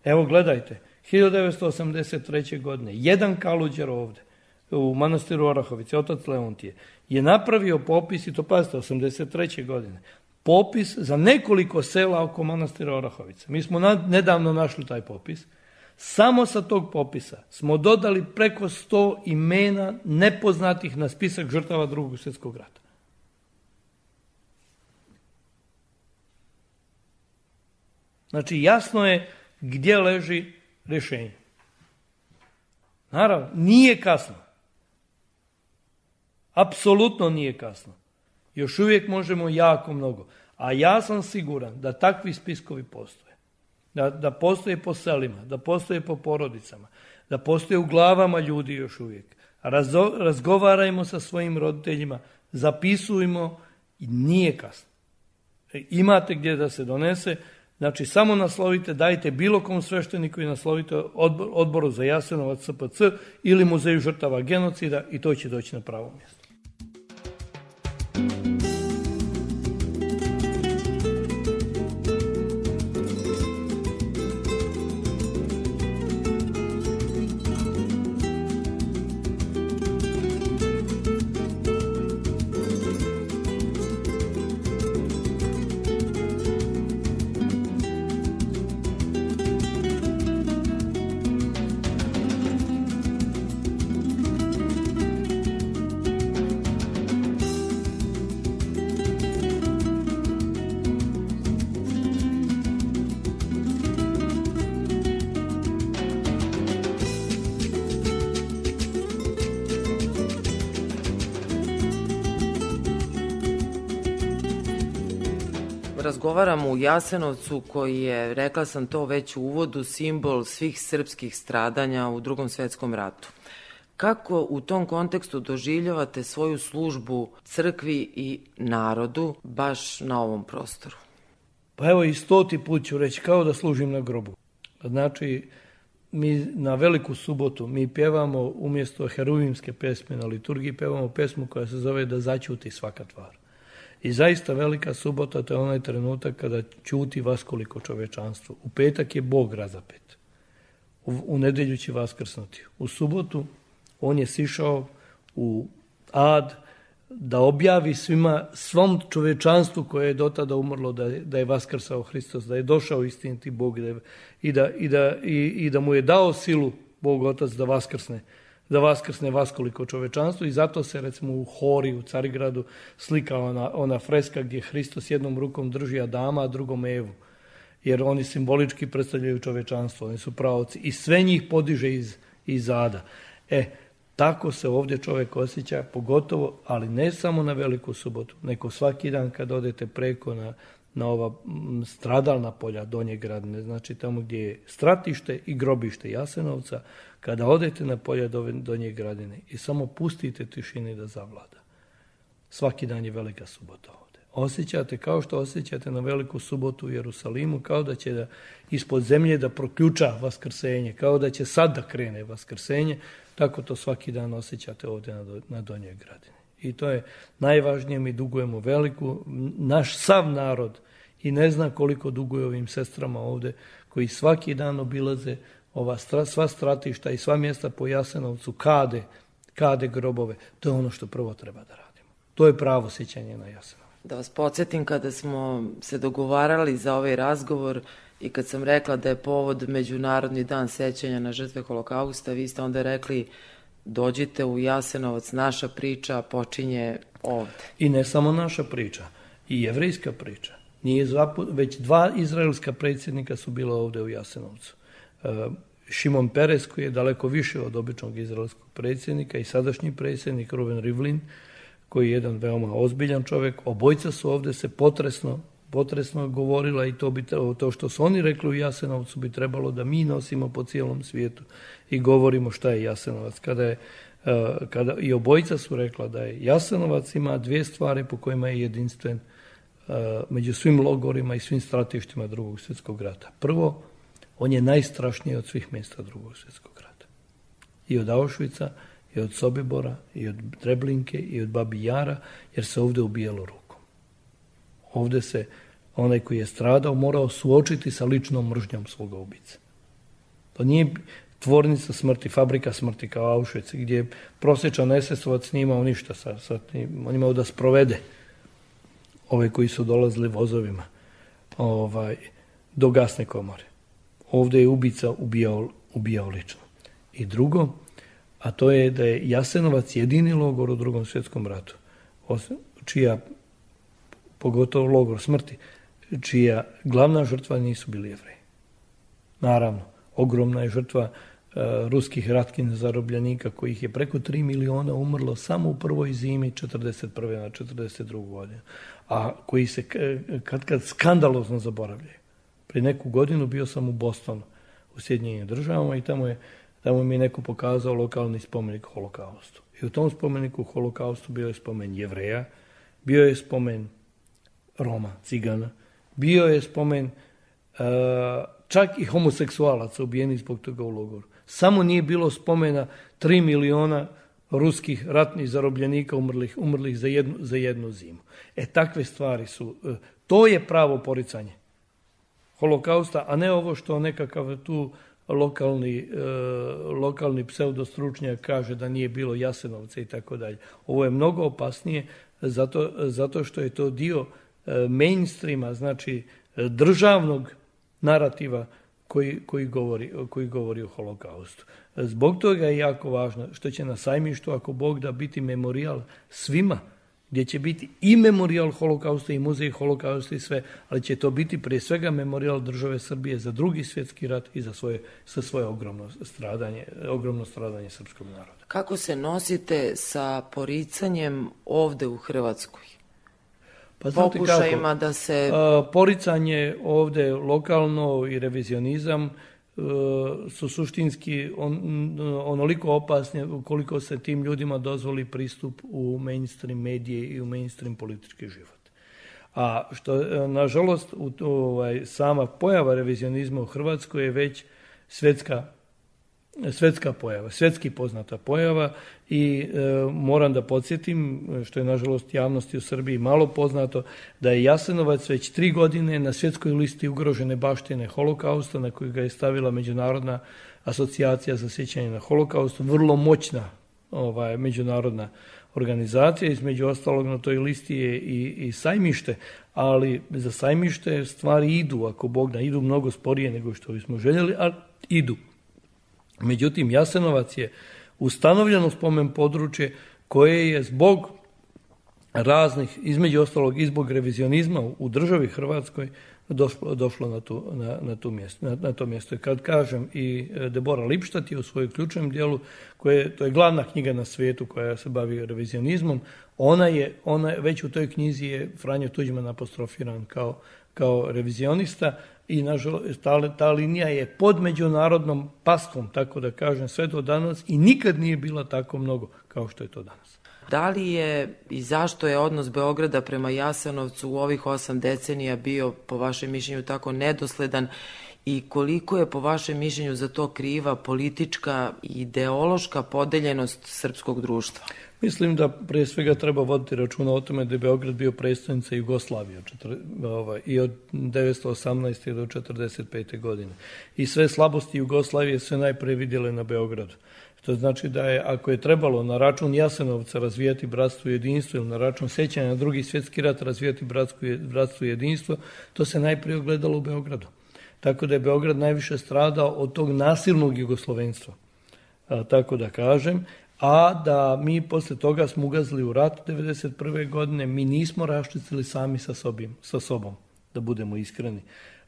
Evo gledajte, hiljadu devetsto osamdeset treće. godine, jedan Kaluđer ovde, u manastiru Orahovice, otac Leontije, je napravio popis, i to pazite, osamdeset treće. godine, popis za nekoliko sela oko manastira Orahovice. Mi smo nedavno našli taj popis. Samo sa tog popisa smo dodali preko sto imena nepoznatih na spisak žrtava Drugog svjetskog rata. Znači, jasno je gdje leži rješenje. Naravno, nije kasno. Apsolutno nije kasno. Još uvijek možemo jako mnogo. A ja sam siguran da takvi spiskovi postoje. Da, da postoje po selima, da postoje po porodicama, da postoje u glavama ljudi još uvijek. Razo, razgovarajmo sa svojim roditeljima, zapisujmo i nije kasno. E, imate gdje da se donese, znači samo naslovite, dajte bilo kom svešteniku i naslovite odbor, odboru za Jasenovac S P C ili muzeju žrtava genocida i to će doći na pravo mjesto. Razgovaramo u Jasenovcu koji je, rekla sam to već u uvodu, simbol svih srpskih stradanja u Drugom svjetskom ratu. Kako u tom kontekstu doživljavate svoju službu crkvi i narodu baš na ovom prostoru? Pa evo i stoti put ću reći, kao da služim na grobu. Znači, mi na Veliku subotu mi pjevamo umjesto heruvimske pesme na liturgiji, pjevamo pesmu koja se zove Da zaćuti svaka tvar. I zaista Velika subota, to je onaj trenutak kada ćuti vaskoliko čovečanstvo. U petak je Bog razapet. U, u nedjelju će vaskrsnuti. U subotu on je sišao u ad da objavi svima, svom čovečanstvu koje je do tada umrlo da je, da je vaskrsao Hristos, da je došao istiniti Bog da je, i, da, i, da, i, i da mu je dao silu Bog Otac da vaskrsne. da vaskrsne vaskoliko čovečanstvo i zato se recimo u Hori u Carigradu slika ona, ona freska gdje Hristos jednom rukom drži Adama, a drugom Evu. Jer oni simbolički predstavljaju čovečanstvo, oni su pravci i sve njih podiže iz, iz ada. E, tako se ovdje čovjek osjeća, pogotovo, ali ne samo na Veliku subotu, nego svaki dan kad odete preko na, na ova stradalna polja Donje Gradine, znači tamo gdje je stratište i grobište Jasenovca, kada odete na polja Donje Gradine i samo pustite tišini da zavlada. Svaki dan je Velika subota ovdje. Osjećate kao što osjećate na Veliku subotu u Jerusalimu, kao da će da ispod zemlje da proključa vaskrsenje, kao da će sad da krene vaskrsenje, tako to svaki dan osjećate ovdje na, na Donjoj Gradini. I to je najvažnije, mi dugujemo veliku, naš sav narod i ne zna koliko duguje ovim sestrama ovdje, koji svaki dan obilaze ova stra, sva stratišta i sva mjesta po Jasenovcu, kade, kade grobove. To je ono što prvo treba da radimo. To je pravo sjećanje na Jasenovac. Da vas podsjetim, kada smo se dogovarali za ovaj razgovor i kad sam rekla da je povod Međunarodni dan sećanja na žrtve Holokausta, vi ste onda rekli dođite u Jasenovac, naša priča počinje ovdje. I ne samo naša priča, i jevrejska priča. Nije zapu, već dva izraelska predsjednika su bila ovdje u Jasenovcu. Šimon Peres, koji je daleko više od običnog izraelskog predsjednika, i sadašnji predsjednik Ruven Rivlin, koji je jedan veoma ozbiljan čovjek. Obojca su ovdje se potresno, potresno govorila i to, bi, to što su oni rekli u Jasenovcu bi trebalo da mi nosimo po cijelom svijetu i govorimo šta je Jasenovac. Kada je, kada, I obojca su rekla da je Jasenovac ima dvije stvari po kojima je jedinstven među svim logorima i svim stratištima Drugog svjetskog rata. Prvo, on je najstrašniji od svih mjesta Drugog svjetskog rata. i od Auschwitza, i od Sobibora, i od Treblinke, i od Babi Jara, jer se ovde ubijalo rukom. Ovde se onaj koji je stradao morao suočiti sa ličnom mržnjom svoga ubice. To nije tvornica smrti, fabrika smrti kao Auschwitz, gdje prosječan es esovac nije imao ništa, sa, sa, on imao da sprovede ove koji su dolazili vozovima ovaj, do gasne komore. Ovde je ubica ubijao, ubijao lično. I drugo, a to je da je Jasenovac jedini logor u Drugom svjetskom ratu, čija, pogotovo logor smrti, čija glavna žrtva nisu bili Jevreji. Naravno, ogromna je žrtva uh, ruskih ratkin zarobljenika, kojih je preko tri miliona umrlo samo u prvoj zimi četrdeset prve na četrdeset drugu godinu, a koji se kad kad skandalozno zaboravljaju. Pri neku godinu bio sam u Bostonu, u Sjedinjenim državama, i tamo je tamo mi je neko pokazao lokalni spomenik Holokaustu. I u tom spomeniku Holokaustu bio je spomen Jevreja, bio je spomen Roma, Cigana, bio je spomen uh, čak i homoseksualaca ubijenih zbog toga u logoru. Samo nije bilo spomena tri miliona ruskih ratnih zarobljenika umrlih, umrlih za, jednu, za jednu zimu. E, takve stvari su, uh, to je pravo poricanje Holokausta, a ne ovo što nekakav tu lokalni, e, lokalni pseudostručnjak kaže da nije bilo Jasenovca i tako dalje. Ovo je mnogo opasnije zato, zato što je to dio e, mainstreama, znači državnog narativa koji, koji, govori, koji govori o Holokaustu. Zbog toga je jako važno što će na sajmištu, ako Bog da, biti memorijal svima, gdje će biti i memorijal Holokausta i muzej Holokausta i sve, ali će to biti prije svega memorijal države Srbije za Drugi svjetski rat i za svoje, za svoje ogromno stradanje, ogromno stradanje srpskog naroda. Kako se nosite sa poricanjem ovde u Hrvatskoj? Pa pokušajima da se... A, poricanje ovde lokalno i revizionizam su suštinski on, onoliko opasni koliko se tim ljudima dozvoli pristup u mainstream medije i u mainstream politički život. A što, nažalost, u, ovaj, sama pojava revizionizma u Hrvatskoj je već svetska, svetska pojava, svetski poznata pojava i e, moram da podsjetim, što je nažalost javnosti u Srbiji malo poznato, da je Jasenovac već tri godine na svjetskoj listi ugrožene baštine Holokausta, na koju ga je stavila Međunarodna asocijacija za sjećanje na Holokaust, vrlo moćna ovaj, međunarodna organizacija. Između ostalog na toj listi je i, i sajmište, ali za sajmište stvari idu, ako Bog da, idu mnogo sporije nego što bismo željeli, ali idu. Međutim, Jasenovac je ustanovljeno spomen područje koje je zbog raznih, između ostalog i zbog revizionizma u državi Hrvatskoj došlo, došlo na, tu, na, na, tu mjesto, na, na to mjesto. I kad kažem, i Debora Lipštat je u svojoj ključnom dijelu, koje, to je glavna knjiga na svijetu koja se bavi revizionizmom, ona je, ona već u toj knjizi je Franjo Tuđman apostrofiran kao, kao revizionista, i nažalost ta, ta linija je pod međunarodnom paskom, tako da kažem, sve do danas, i nikad nije bila tako mnogo kao što je to danas. Da li je i zašto je odnos Beograda prema Jasenovcu u ovih osam decenija bio, po vašem mišljenju, tako nedosledan, i koliko je po vašem mišljenju za to kriva politička i ideološka podeljenost srpskog društva? Mislim da prije svega treba voditi računa o tome da je Beograd bio prestonica Jugoslavije i od devetsto osamnaeste. do četrdeset pete. godine. I sve slabosti Jugoslavije se najpre vidjele na Beogradu. To znači da je, ako je trebalo na račun Jasenovca razvijati bratstvo i jedinstvo ili na račun sećanja na Drugi svjetski rat razvijati bratstvo i jedinstvo, to se najprije ogledalo u Beogradu. Tako da je Beograd najviše stradao od tog nasilnog jugoslovenstva, a, tako da kažem, a da mi posle toga smo ugazili u rat devedeset prve. godine, mi nismo raščistili sami sa, sobim, sa sobom, da budemo iskreni,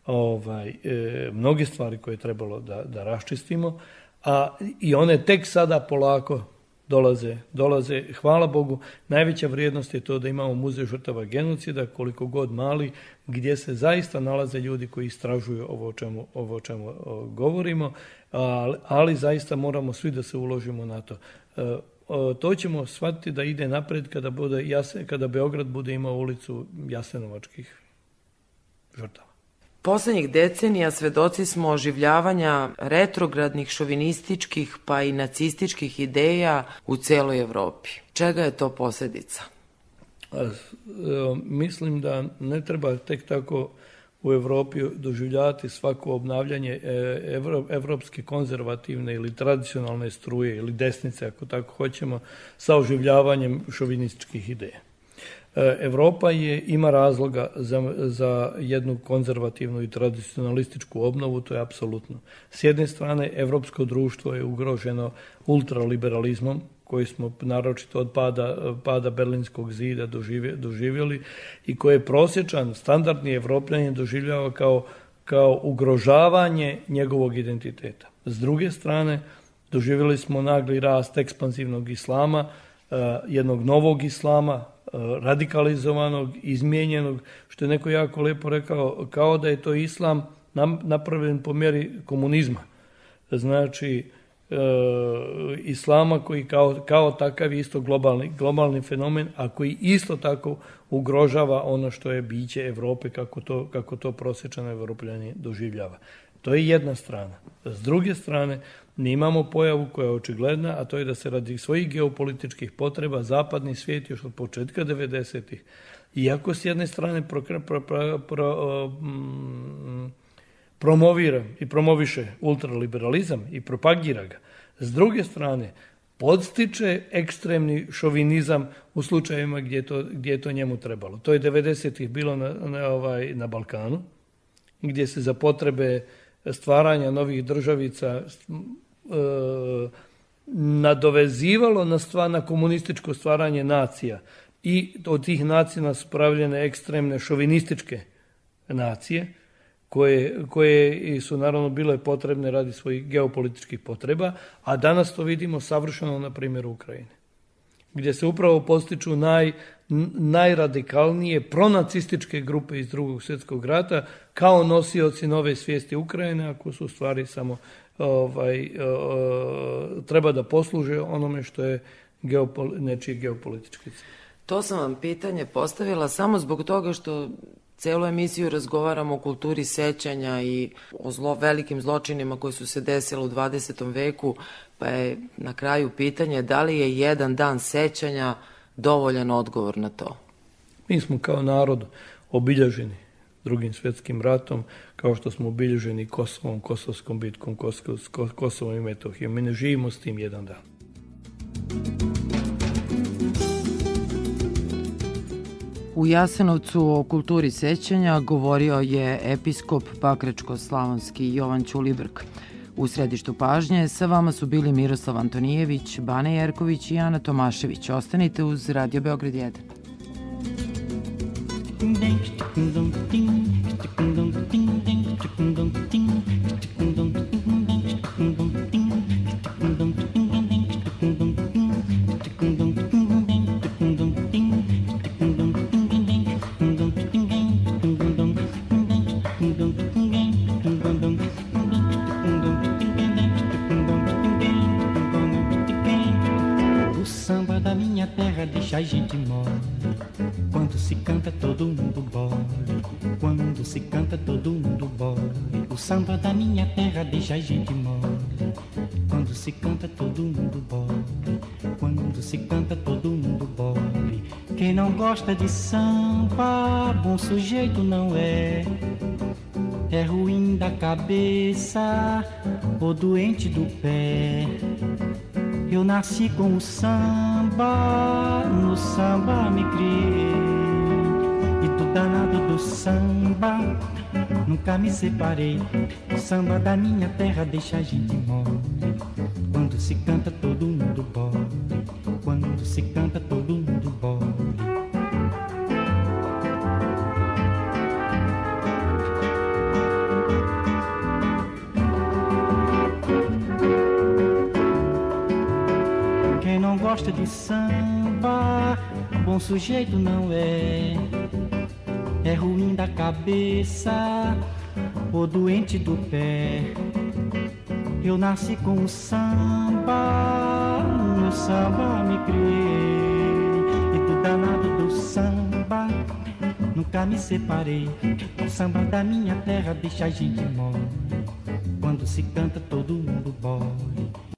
ovaj, e, mnoge stvari koje je trebalo da, da raščistimo, a i one tek sada polako dolaze, dolaze, hvala Bogu. Najveća vrijednost je to da imamo muzej žrtava genocida, koliko god mali, gdje se zaista nalaze ljudi koji istražuju ovo o čemu, ovo o čemu o, govorimo, ali, ali zaista moramo svi da se uložimo na to. E, o, to ćemo shvatiti da ide napred kada, bude Jasen, kada Beograd bude imao ulicu jasenovačkih žrtava. Poslednjih decenija svedoci smo oživljavanja retrogradnih, šovinističkih pa i nacističkih ideja u celoj Evropi. Čega je to posljedica? Mislim da ne treba tek tako u Evropi doživljavati svako obnavljanje evropske konzervativne ili tradicionalne struje ili desnice, ako tako hoćemo, sa oživljavanjem šovinističkih ideja. Evropa je, ima razloga za, za jednu konzervativnu i tradicionalističku obnovu, to je apsolutno. S jedne strane, evropsko društvo je ugroženo ultraliberalizmom, koji smo naročito od pada, pada Berlinskog zida doživjeli i koje je prosječan, standardni Evropljanin doživljava kao, kao ugrožavanje njegovog identiteta. S druge strane, doživjeli smo nagli rast ekspanzivnog islama, jednog novog islama, radikalizovanog, izmijenjenog, što je neko jako lepo rekao, kao da je to islam napravljen po mjeri komunizma. Znači, e, islama koji kao, kao takav je isto globalni, globalni fenomen, a koji isto tako ugrožava ono što je biće Evrope, kako to, kako to prosječan Evropljanin doživljava. To je jedna strana. S druge strane, mi imamo pojavu koja je očigledna, a to je da se radi svojih geopolitičkih potreba zapadni svijet još od početka devedesetih, iako s jedne strane pro, pro, pro, pro, um, promovira i promoviše ultraliberalizam i propagira ga, s druge strane podstiče ekstremni šovinizam u slučajevima gdje je to, gdje je to njemu trebalo. To je devedesetih bilo na, na, ovaj, na Balkanu, gdje se za potrebe stvaranja novih državica e, nadovezivalo na, stvar, na komunističko stvaranje nacija i od tih nacija su pravljene ekstremne šovinističke nacije koje, koje su naravno bile potrebne radi svojih geopolitičkih potreba, a danas to vidimo savršeno na primjeru Ukrajine, gdje se upravo postiču naj, najradikalnije pronacističke grupe iz Drugog svjetskog rata kao nosioci nove svijesti Ukrajine, ako su u stvari samo ovaj, treba da posluže onome što je geopol, nečiji geopolitički cilj. To sam vam pitanje postavila samo zbog toga što celu emisiju razgovaramo o kulturi sećanja i o zlo, velikim zločinima koji su se desili u dvadesetom veku, pa je na kraju pitanje da li je jedan dan sećanja dovoljan odgovor na to? Mi smo kao narod obilježeni Drugim svjetskim ratom, kao što smo obilježeni Kosovom, Kosovskom bitkom, Kosovom i Metohijom. Mi ne živimo s tim jedan dan. U Jasenovcu o kulturi sećanja govorio je episkop Pakračko-slavonski Jovan Ćulibrk. U središtu pažnje sa vama su bili Miroslav Antonijević, Bane Jerković i Ana Tomašević. Ostanite uz Radio Beograd jedan. Deixa a gente mole. Quando se canta todo mundo bole. Quando se canta todo mundo bole. O samba da minha terra deixa a gente mole. Quando se canta todo mundo bole. Quando se canta todo mundo bole. Quem não gosta de samba, bom sujeito não é. É ruim da cabeça ou doente do pé. Eu nasci com o samba, no samba me criei. E do danado do samba, nunca me separei. O samba da minha terra deixa a gente mole. Quando se canta todo mundo bole. Quando se canta todo mundo bole. Gosta de samba, bom sujeito não é. É ruim da cabeça ou doente do pé. Eu nasci com o samba, no samba me criei. E do danado do samba, nunca nunca me separei. O samba da minha terra deixa a gente mole. Quando se canta todo mundo bole.